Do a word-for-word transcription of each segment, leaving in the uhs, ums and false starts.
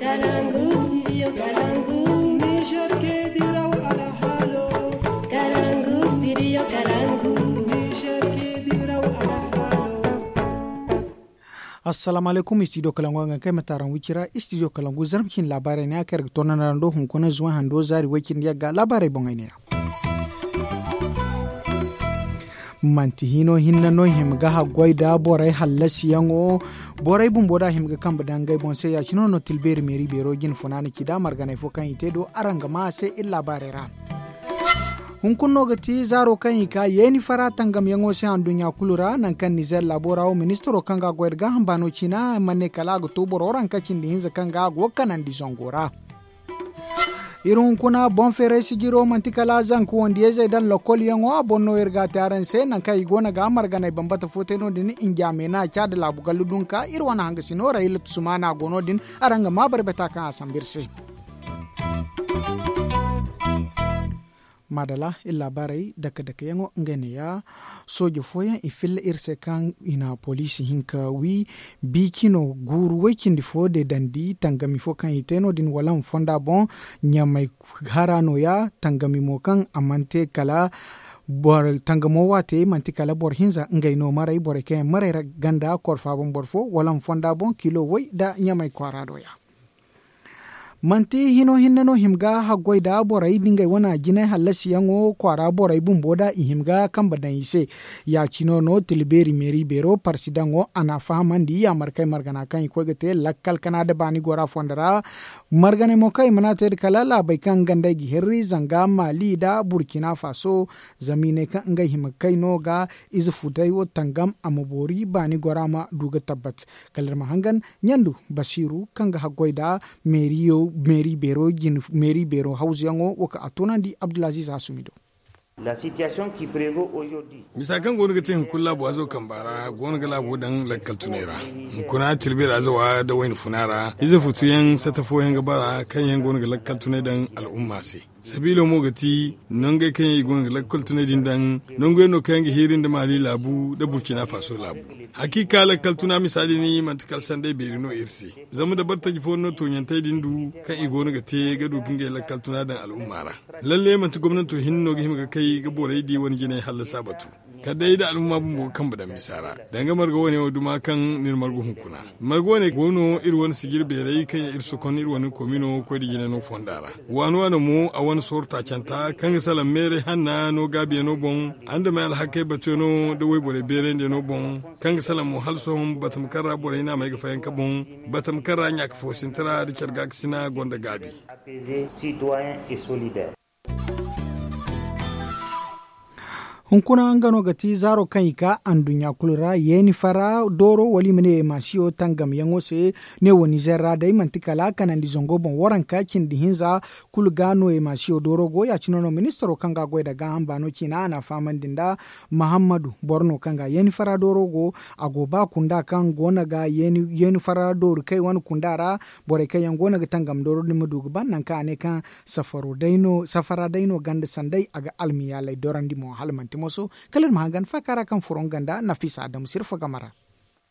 Kalangu, studio Kalangu. Niger ke diraw alhalo. Kalangu, studio Kalangu. Niger ke diraw alhalo. Assalamu alaykum, studio Kalangu, nga kay ma taran wicira, studio Kalangu, zarma cin labarai ne a kay ga tonan rando hunkuna zuwa hando zari wai cindi yagga labarai boŋay ne ya. Manti hino hinne no i hima ga haggoy da borey hallasiyaŋo. Borey bumbo da a hima ga kambe daŋ ngey boŋ se ya cino no tilbeeri meeri beero jine funaana ci da marganey fo kaŋ i te do araŋ ga ma a se iri laabaarey ra. Hunkuna no ga ti zaaro kaŋ i ka yeeni fara tangamyaŋo se anduɲɲa kulu ra nangu kaŋ nizer laabo ra wo ministiro kaŋ ga a goy nda gaaham baano ciina mana ne kala a ga to boro ranka cindi hinza kaŋ ga a go ga kanandi zango ra. Iri hunkuna boŋ feeray sijiro manti kala zanka wandiyayzey daŋ lokol yaŋo a boŋ no iri ga a te araŋ se nangu kaŋ i go no ga marganey bambata fo te no- din. Injaamey no a ca nda laabu gallu dunka iri wane hangasino ra ilatu sumaana go no- din. Araŋ ga ma barbata kaŋ a sambu iri se. Maadala iri laabaarey dake dake yaŋo ngey ne ya. Sooje fooyaŋ i filla iri se kaŋ i na poliisi hinka wi. Biicino guuru way cindi fo deedandi tangami fo kaŋ i te no- din wala ma fonda boŋ. Ɲamay hara no- ya tangami mo kaŋ a mana te kala tangamo waate manti kala boro hinza ngey no maray borey kaŋ yaŋ maray ganda korfa boŋ boro fo wala ma fonda boŋ kilo way nda ɲamay kwaara do- ya. Manti hino hinne no hima ga haggoy nda borey nda ngey wane jinay hallasiyaŋo kwaara borey bumbo nda i hima ga kambe daŋ i se. Ya- cino no tila beeri meeri beero parsidaŋo a n'a fahamandi yaamar kay margana kaŋ i koy ga te lakkal kana nda baani gora fondo ra. Marganey mo kaŋ i mana te nda kala laabey kaŋ gandey ga hirri zanga maali nda burkina faso. Zama i ne kaŋ ngey hima ga kay no ga ize futay wo tangam a ma boori baani gora ma du ga tabbat. Kala iri ma hangan ɲandu basiiru kaŋ ga haggoy nda meeri beero hawzuyaŋo wo kaŋ a toonandi abdulaziiz hasumi do. Misa kaŋ go no ga te hunkuna laabu waazo kamba ra go no ga laabo daŋ lakkal tunay ra. Hunkuna tilbeera zawa nda wayna funa ra ize futuyaŋ sata fooyaŋ ga bara kaŋ yaŋ go no ga lakkal tunay daŋ al'umma se. Sabiilo mo ga ti nongey kaŋ yaŋ i go no ga lakkal tunay din daŋ. Nonguyaŋ no kaŋ yaŋ ga hiiri nda maali laabu nda burkina faso laabu. Hakiika lakkal tuna misa din manti kala sanday beeri no iri se. Zama da bartaji fooyaŋ no tooɲantey din du kaŋ i go no ga te ga du ga ngey lakkal tuna daŋ al'umma ra. Lalle manti gomnanto hinne no ga hima ga kay ga borey di wane jinay hallasa batu. Kala day da al'umma bumbo ga kambe daŋ misa ra danga marga wane wo duma kaŋ n'iri margu hunkuna. Marga wane go no iri wane sijir beerey kaŋ yaŋ iri sokon iri wane komino koy nda jinay no fonda ra. Waano waano mo a wane sooro taacanta kaŋ ga salaŋ meeray hanna no gaabiyaŋo boŋ, andamey alhakey batuyaŋo nda wayborey beerayndiyano boŋ, kaŋ ga salaŋ mo hala sohõ batama kaŋ ra borey naamey ga fayanka boŋ, batama kaŋ ra ɲaaka foosintara nda care gaakasina gonda gaabi. Hunkuna nga no ga ti zaaro kaŋ i ka anduɲɲa kulu ra yeeni fara dooro wala i ma ne emasiyo tangamyaŋo se. Ne wo nizer ra day manti kala kanandi zango boŋ waranka cindi hinza kulu ga no emasiyo dooro go ya- cine no ministaro kaŋ ga a goy nda gaaham baano ciina a n'a fahamandi nda mahammadu boro no kaŋ ga yeeni fara dooro go. A go ba kunda kaŋ go no ga yeeni fara doori kay wane kunda ra. Borey kaŋ yaŋ go no ga tangam dooro din ma du ga ban nangu kaŋ a ne kaŋ safara day no ganda sanday a ga almiyaaley dorandi mo hala manti moso. Kala iri ma hangan faaka ra kaŋ furo nga nda nafisa adamu sirfa game ra.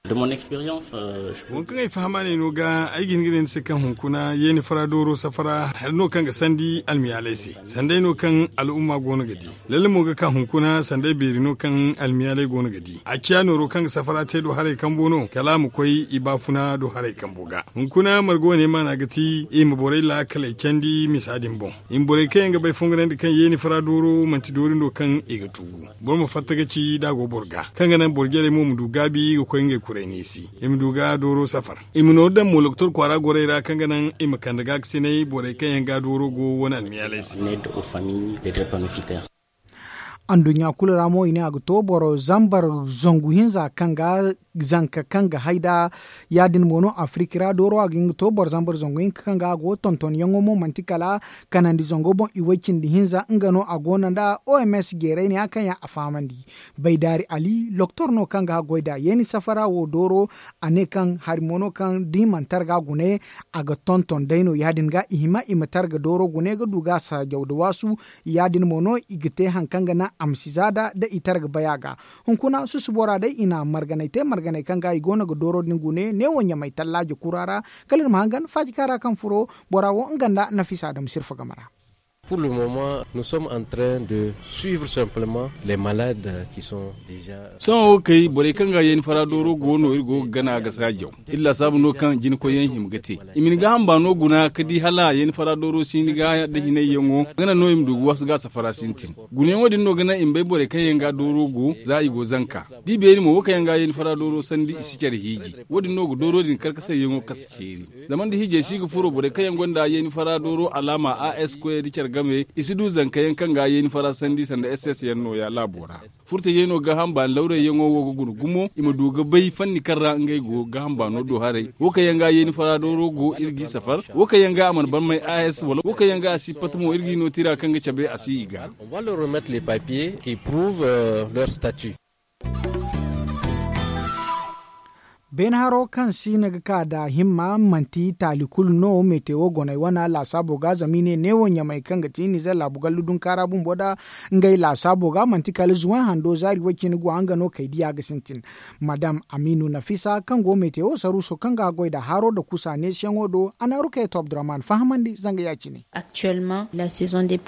Waŋ kaŋ ay fahama ne no ga ay ga hin ga ne ni se kaŋ hunkuna yeeni fara dooro safara hari no kaŋ ga sandi almiyaaley se sanday no kaŋ al'umma go no ga di. Lalle mo ga ka hunkuna sanday beeri no kaŋ almiyaaley go no ga di a ciya nooro kaŋ ga safara te do haray kambo no kala a ma koy i baafuna do haray kambo ga. Hunkuna marga wane maana ga ti i ma borey laakaley candi misa din boŋ. I ma borey kaŋ yaŋ ga bay fongonandi kaŋ yeeni fara dooro manti doori no kaŋ i ga tugu. Boro ma fatta ga ci da a go boro ga kaŋ ga naŋ boro jarey mo ma du gaabi ga koy ngey kuray neesi i ma du ga dooro safar. I ma nooru daŋ mo lokotor kwaara gorey ra kaŋ ga naŋ i ma kande gaakasinay borey kaŋ yaŋ ga dooro go wane almiyaaley se. Anduɲɲa kulu ra mo i ne a ga to boro zambar zangu hinza kaŋ ga zanka kaŋ ga hay nda ya- din mo no afiriki ra dooro a ga hin ga to boro zambar zangu hinka kaŋ ga a go tontonyaŋo mo manti kala kanandi zango boŋ i way cindi hinza nga no a go no nda oms jeeray ne ya kaŋ yaŋ a fahamandi. Baydaari ali loktor no kaŋ ga goy nda yeeni safara wo dooro a ne kaŋ hari mo no kaŋ da i mana targa gune a ga tonton day no ya- din ga i hima i ma targa dooro gune ga du ga a saajaw nda waasu. Ya- din mo no i ga te hari kaŋ ga naŋ a ma si za nda i targa bay a ga. Hunkuna susubo ra day i na marganay te. Ganey kaŋ ga i go no ga dooro din gune neewo ɲamay tallaaje kura ra. Kala iri ma hangan faaji kaŋ ra kaŋ furo bora wo nga nda nafisa dam sirfa game ra. Pour le moment nous sommes en train de suivre simplement les malades qui sont déjà. Sohõ wo kay borey kaŋ ga yeeni fara dooro go no iri go ga gana ga saajaw. Iri laasaabu no kaŋ jinakoyyaŋ hima ga te. I ma ni gaaham baano guna ka di hala yeeni fara dooro si ni ga da hinayyaŋo gana no i ma du ga waasu ga a safara sintin. Gunayaŋo din no ga naŋ i ma bay borey kaŋ yaŋ ga dooro go za i go zanka. Da i beeri mo wo kaŋ yaŋ ga yeeni fara dooro sandi i si care hiiji. Wo- din no ga dooro din karkasayyaŋo kasa ceeri. Zama nda hiijay si ga furo borey kaŋ yaŋ gonda yeeni fara dooro alaama a s koyey da care game i si du zankayaŋ kaŋ ga yeeni fara sandi sanda s s yaŋ nooya laabo ra. Furtajey no gaaham baani lawrayyaŋo wo ga guna gumo i ma du ga bay fanni kaŋ ra ngey go gaaham baano do haray. Wo kaŋ yaŋ ga yeeni fara dooro go iri g'i safar. Wo kaŋ yaŋ ga a mana ban may a s wala wo kaŋ yaŋ ga a si pat mo iri g'i no tira kaŋ ga cabe a si i ga. Beene haro kaŋ siina ga ka da himma manti taali kulu no metewo goney wana laasaabo ga zama i ne neewo ɲamay kaŋ ga ti nizer laabu gallu dunkaara bumbo da ngey laasaabo ga manti kala zuway hando zaari way cine go a nga no kay diya ga sintin. Madam amiinu nafisa kaŋ go metewo saruuso kaŋ ga goy nda haro nda kusa neesiyaŋo do a na rukayatu abdurahman fahamandi zanga ya- cine.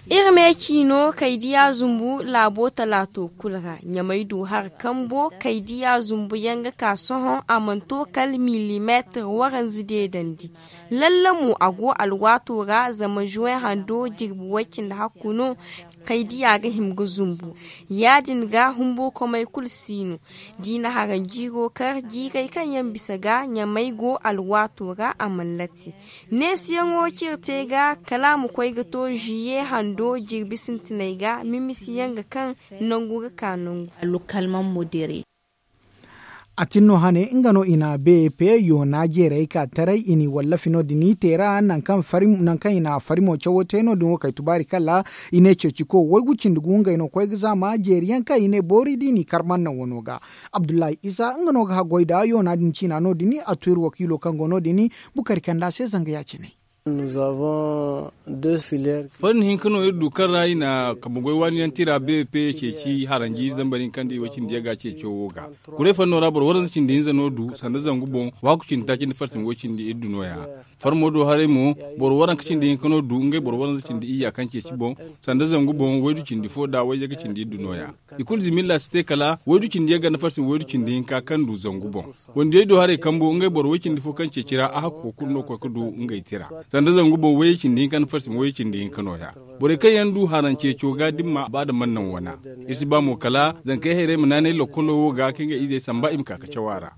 Iri me ciino kay diya zumbu laabo talaato kulu ra ɲamay du hari kambo kay diya zumbu yaŋ ga ka sohõ a mana to kala milimeetir waranza deedandi. Lalle mo a go alwaato ra zama zuway hando jirbi way cindi hakku no. Kay diya ga hima ga zumbu ya- din ga humbo komey kulu si no. Da i na haranjiiro kar jiirey kaŋ yaŋ bisa ga ɲamay go alwaato ra a mana lati. Neesiyaŋo kaŋ iri te ga kala a ma koy ga to ziye hando jirbi sintiney ga mimisiyaŋ ga kaŋ nangu ga ka nangu. A tin no hane nga no i na bep yoona jeerey ka taray i n'i wallafi no- din i te ra nangu kaŋ i na farimo cawo te no- din wo kay tubaari kala i ne ceeciko waygu cindi gu ngey no koy ga zaama jeeri yaŋ kaŋ i ne boori da i n'i kar manna wano ga. Abdullahi isa nga no ga haggoy nda yoona din ciina no- din a tu iri wakiilo kaŋ go no- din bukari kanda se zanga ya- cine. Fanni hinka no iri du kaŋ ra i na kambe goy waani yaŋ tira bp ceeci haranji zambar hinka nda i way cindi yaŋ ga ceeco wo ga. Kuray fanno ra boro waranza cindi hinza no du sanda zangu boŋ. Waaku cindi taaci nda farsin way cindi iri du no- ya. Farmo do haray mo boro waranka cindi hinka no du ngey boro waranza cindi iyya kaŋ ceeci boŋ. Sanda zangu boŋ waydu cindi fo da wayyaŋ ga cindi iri du no- ya. I kulu zimilla si te kala waydu cindi yaŋ ga nda farsin waydu cindi hinka kaŋ du zangu boŋ. Wandiyey do haray kambo ngey boro way cindi fo kaŋ ceeci ra a hakko kulu no koy ga du ngey tira. Sanda zangu boŋ wayey cindi hinka nda farsin wayey cindi hinka no- ya. Borey kaŋ yaŋ du haranceeco ga dimma ba da man naŋ wana. Iri si ba mo kala zankey hayrey ma naanay lokkolo wo ga kaŋ ga izey samba i ma ka ga caw a ra.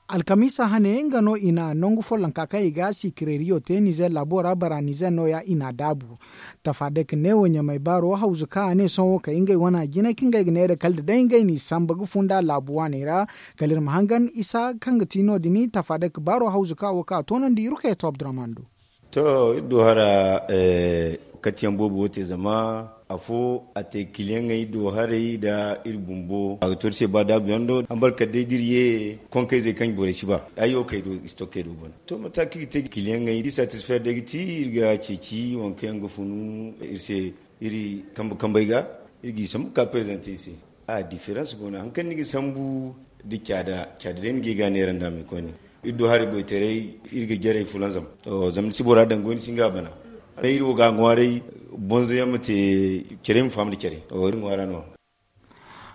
Alkamiisa hane nga no i na nangu follonka kaŋ i ga sikireeriyo te nizer laabo ra bara nizer no- ya i n'a daabu. Tafaadek neewo ɲamay baaro hawzu kaŋ a ne sohõ kay ngey wane a jine kaŋ ngey ga neera kala da day ngey n'i samba ga funda laabu waaney ra. Kala iri ma hangan isa kaŋ ga ti no- din tafaadek baaro hawzu kaŋ a wo kaŋ a toonandi rukayeto abdurahman do. To iri du hara katiyaŋ boobo wo te zama afo a te kiliyaŋey do haray nda iri bumbo a ga to iri se ba daabu yaŋ do hambar kala day da iri ye konkayzey kaŋ borey si ba ay wo kay do istokey do bana. To mate kaŋ iri ga te kiliyaŋey da iri satisfer day ga ti iri ga ceeci waŋ kaŋ yaŋ ga funu iri se iri kambe kambey ga iri g'i sambu ga ka prezante iri se. A diferans go no hari kaŋ ni ga sambu da caada caada day ni ga i ga neera nda me koyne. Iri du hari goytaray iri ga jarey fulanzam. Zama ni si bora daŋ goy ni si nga bana. Iri wo ga ŋwaaray bonzo yaŋ ma te care ma faham nda care iri ŋwaara no.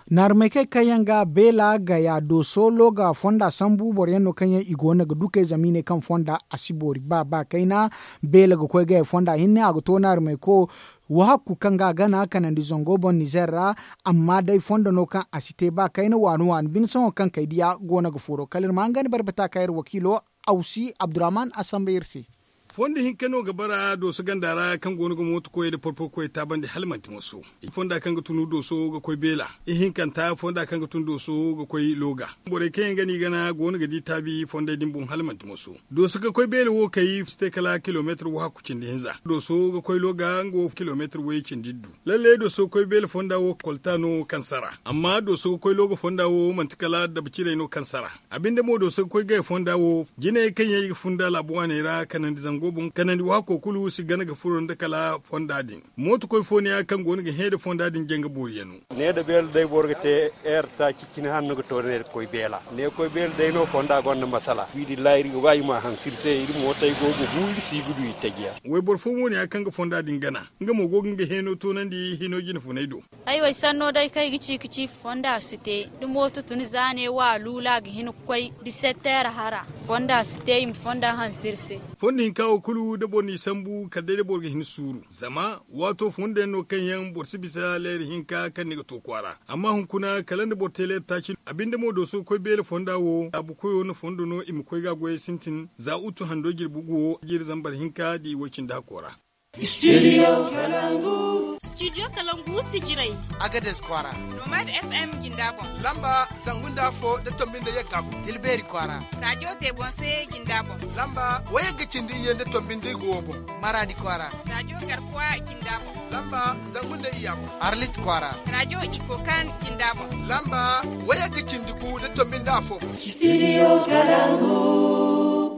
Naarumey kaŋ yaŋ ga beela gaya dooso looga fonda sambu boro yaŋ no kaŋ yaŋ i go no ga dukey zama i ne kaŋ fonda a si boori ba ba kayna. Beela ga koy gaya fonda hinne a ga to naarumey ko wo hakku kaŋ ga a gana kanandi zango boŋ nizer ra. Amma day fondo no kaŋ a si te ba kayna waani waani bine sohõ kaŋ kay diya go no ga furo kala iri ma hangan barbata kaŋ iri wakiilo awsi abdurahman a samba iri se. Fondo hinka no ga bara dooso ganda ra kaŋ go no ga mooto koyey nda porporo koyey taabandi hala manti moso. Fonda kaŋ ga tun dooso ga koy beela ihinkanta fonda kaŋ ga tun dooso ga koy looga. Borey kaŋ yaŋ ga no i gana go no ga di taabi fondey din boŋ hala manti moso. Dooso ga koy beela wo kay si te kala kilomeetir wo hakku cindi hinza dooso ga koy looga nga wo kilomeetir woyey cindi iddu. Lalle dooso ga koy beela fonda wo kolta no kaŋ sara. Amma dooso ga koy looga fonda wo manti kala dabacirey no kaŋ sara. A binde mo dooso ga koy gaya fonda wo jinayey kaŋ yaŋ i ga funda laabu waaney ra kanandi zangu. Kanandi waako kulu si gana ga furo nda kala fonda din. Mooto koy fo ne ya kaŋ go no ga hẽ nda fonda din janga boori yaŋ no. Ne nda beela day boro ga te heer taaci cine hala no ga to ne nda koy beela ne koy beela day no fonda gonda masala wi din ra iri ga ba i ma hansiri se iri mootey go ga bu iri si ga du itajiya. Wayboro fo mo ne ya kaŋ ga fonda din gana, nga mo go ga nga heno toonandi hino jine funay do. Ay wo ay sanno day kaŋ ay ga ci ga ci fonda si te da mooto tun za ne wa a luula a ga hin ga koy disetteer hara. Fonda si te i ma fonda hanse iri se. Fondo hinka wo kulu da boro n'i sambu kala day da boro ga hin suuru zama waato fondo yaŋ no kaŋ yaŋ boro si bisa leera hinka kaŋ ni ga to kwaara. Amma hunkuna kala nda boro te leera taaci no a binde mo dooso ga koy beele fonda wo laabu koyo na fondo no i ma koy ga a goyey sintin za utu hando jirbi gu wo jiiri zambar hinka da i woy cindi hakko ra. Studio kalangu. Studio kalangu si jirai. Agades kwaara. Nomad fm jinda boŋ. Lamba zangu nda afo da tombi nda yagga boŋ. Tilbeeri kwaara. Rajo tebonse jinda boŋ. Lamba wayagga cindi iyye nda tombi nda igo wo boŋ. Maradi kwaara. Rajo garkuwa jinda boŋ. Lamba zangu nda iyya boŋ. Arlit kwaara. Rajo ikokan jinda boŋ. Lamba wayagga cindi gu da tombi nda afo boŋ. Studio kalangu.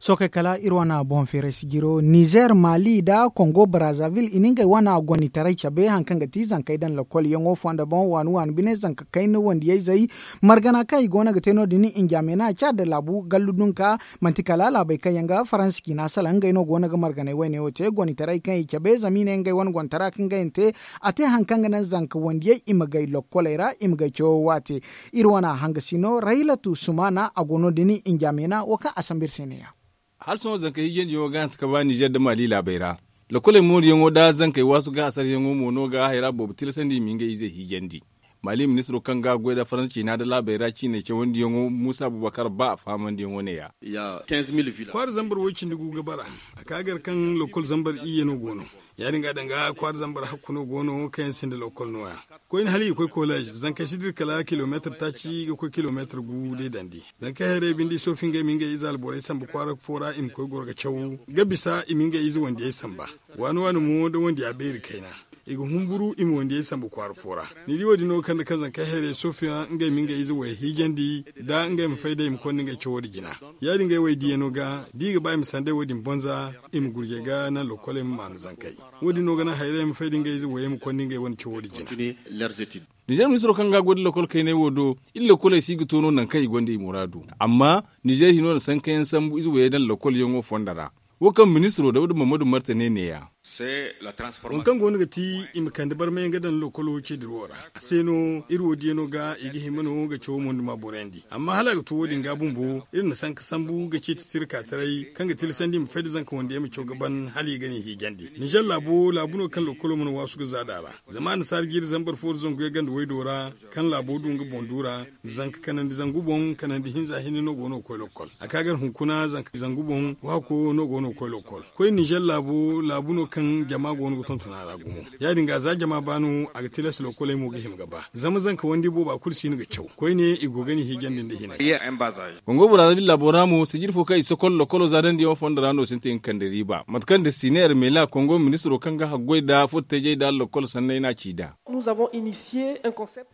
Sookey kala iri wane boŋ feeray sijiro nizer mali nda kongo brazaville i na ngey wane gonitaray cabe hari kaŋ ga ti zankey daŋ lokol yaŋo fondo boŋ waani waani bine zanka kayna wandiyayzey. Margana kaŋ i go no ga te no- din injamena caada laabu gallu dunka manti kala laabey kaŋ yaŋ ga faransa ciina salaŋ ngey no go no ga marganey wayne wo te gonitaray kaŋ i cabe zama i ne ngey wane gontara kaŋ ga yaŋ te. A te hari kaŋ ga naŋ zanka wandiyey i ma gay lokoley ra i ma gay cawo waate. Iri wane a hanga si no raylatu sumana a go no- din injamena wo kaŋ a sambu iri se ne- ya. Hala sohõ zankey hijandiyaŋo ga hanse ka ba nizer nda mali laabey ra. Lokoley mooriyaŋo nda zankey waasu ga hasaryaŋo mo no ga hayra boobo tilasandi i ma ngey izey hijandi. Mali ministiro kaŋ ga goy nda faransa ciina nda laabey ra ciiney cawandiyaŋo muusa abubakar ba a fahamandiyaŋo ne- ya. Kwaara zambar woy cindi gu ga bara. A ka gar kaŋ lokol zambar iyye no go no. Ya- din ga danga kwaara zambar hakku no go no kaŋ yaŋ sinda lokol no- ya. Koyne hala i ga koy kolej zankey si dira kala kilomeetar taaci ga koy kilomeetar gu day dandi. Zankey hayrey binde i soofi ngey ma ngey ize alborey samba kwaara fo ra i ma koy goro ga caw ga bisa i ma ngey ize wandiyey samba. Waani waani mo da wandiya beeri kayna i ga humburu i ma wandiyey samba kwaara fo ra. Ni di wo- din no ga kande kaŋ zankey hayrey soofiyaŋ ngey ma ngey ize wayey hiijandi nda ngey ma fay day i ma konda ngey cawo din jina. Ya- din ngey waydiyaŋo ga da i ga ba i ma sanday wo- din bonza i ma gurjey ga naŋ lokoley ma maanu zankey. Wo- din no ga naŋ hayrey ma fay da ngey ize wayey ma konda ngey wane cawo din jina. Nizer ministiro kaŋ ga a goy nda lokol kayney wo do, iri lokoley si ga to no nangu kaŋ i gonda i muraadu. Amma nizer hino na sankayaŋ sambu ize wayey daŋ lokolyaŋo fondo ra. Wo kaŋ ministiro dawda mamadu martane ne- ya. Waŋ kaŋ go no ga ti i ma kande barmayaŋ ga daŋ lokolo ceediro ra. A se no iri wo diyaŋo ga i ga hima no ga cawo moyduma boroyandi. Amma hala a ga to wo- din ga bumbo iri na sanka sambu ga ceeti tirka taray kaŋ ga tilasandi i ma fay da zanka wandiyaŋ ma caw ga ban hala i ga ni hiijandi. Nizer laabo laabu no kaŋ lokolo mana waasu ga zaada a ra. Zama annasaara jiiri zambar fo nda zangu yagga nda waydo ra kaŋ laabo du nga boŋ du ra. Zanka kanandi zangu boŋ kanandi hinza hinne no go no ga koy lokol a ka gar hunkuna zanka zangu boŋ waako no go no ga koy lokol. Koy nizer laabu laabu no kaŋ jama go no ga tonton a ra gumo. Ya- din ga za jama ba no a ga tilas lokoley mo ga hima ga ba zama zanka wandi booba kulu si no ga caw koyne i go ga ni hiijandi nda hinay. Kongo brazaville laabo ra mo sijiri fo kaŋ i sokol lokolo zaadandi yaŋo fondo ra no sintin ga kande riiba mate kaŋ da sine ermela kongo ministiro kaŋ ga haggoy nda furtejey nda lokol sanney no a ci nd'a.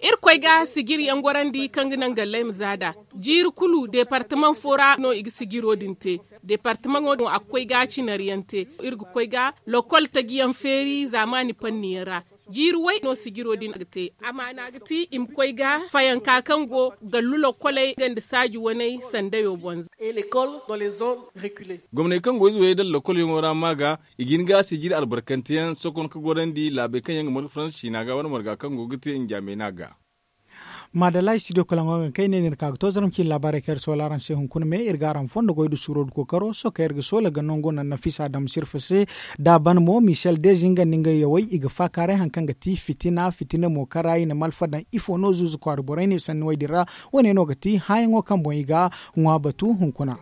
Iri koy ga sijiri yaŋ gorandi kaŋ ga naŋ galley ma zaada. Jiiri kulu departamaŋ fo ra no i ga sijiro din te. Departamaŋo din a ga koy ga cinari yaŋ te. Iri ga koy ga lokol taji yaŋ feeri zaamaani panni yaŋ ra. Jiiri way no sijiro din ga te. Amaana ga ti i ma koy ga fayanka kaŋ go gallu lokoley nga nda saaji waney sandayo boŋ za. Gomney kaŋ go ize wayey daŋ lokolyaŋo ra ma ga i ga hin ga sijiri albarkanteyaŋ sokon ka gorandi laabey kaŋ yaŋ ga marga faransa ciina ga wala marga kaŋ go ga te njamey no a ga. Maadalla studio kalaŋo ga kayne no iri ka ga to zarma cine laabaarey kaŋ iri soola araŋ se hunkuna me iri ga araŋ fondo goy nda suuro nda kookaro sohõ kaŋ iri ga soola ga nango naŋ nafisa daŋ ma sirfa se. Da a ban mo michel deze nga nda nga yawey i ga faakaaray hari kaŋ ga ti fitina fitina mo kaŋ ra i na malfa daŋ ifo no zuuzu kwaara borey ne sanni wey din ra. Wo- ne no ga ti hããyaŋo kaŋ boŋ i ga ŋwa batu hunkuna.